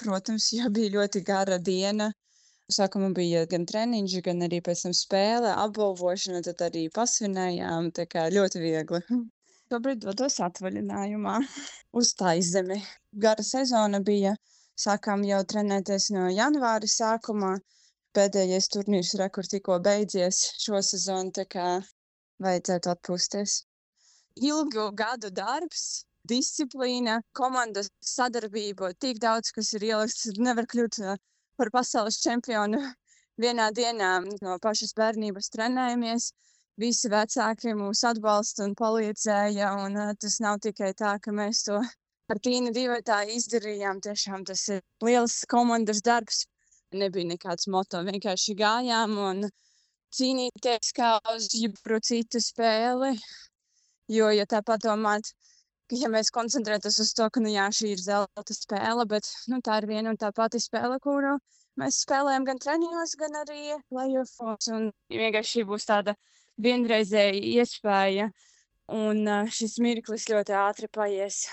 protams, jo bija ļoti gara diena. Sākumā bija gan treniņš, gan arī pēc tam spēle, apbalvošana, tad arī pasvinējām, tā kā ļoti viegli. Šobrīd dodos atvaļinājumā uz Taizzemi. Gara sezona bija, sākām jau trenēties no janvāra sākumā. Pēdējais turnīrs rekord tikko beidzies šo sezonu, tā kā vajadzētu atpūsties. Ilgu gadu darbs, disciplīna, komandas sadarbība, tik daudz, kas ir ielikts, nevar kļūt par pasaules čempionu vienā dienā. No pašas bērnības trenējamies, visi vecāki mūs atbalsta un palīdzēja, un tas nav tikai tā, ka mēs to ar Tīnu divatā izdarījām. Tiešām tas ir liels komandas darbs. Nebija nekāds moto, vienkārši gājām un cīnīties kā uz jebkuru citu spēli. Jo, ja tā padomāt, ka ja mēs koncentrētos uz to, ka, nu jā, šī ir zelta spēle, bet, nu, tā ir viena un tā pati spēle, kuru mēs spēlējam gan treniņos, gan arī play-offos, un vienkārši šī būs tāda vienreizēja iespēja, un šis mirklis ļoti ātri paies.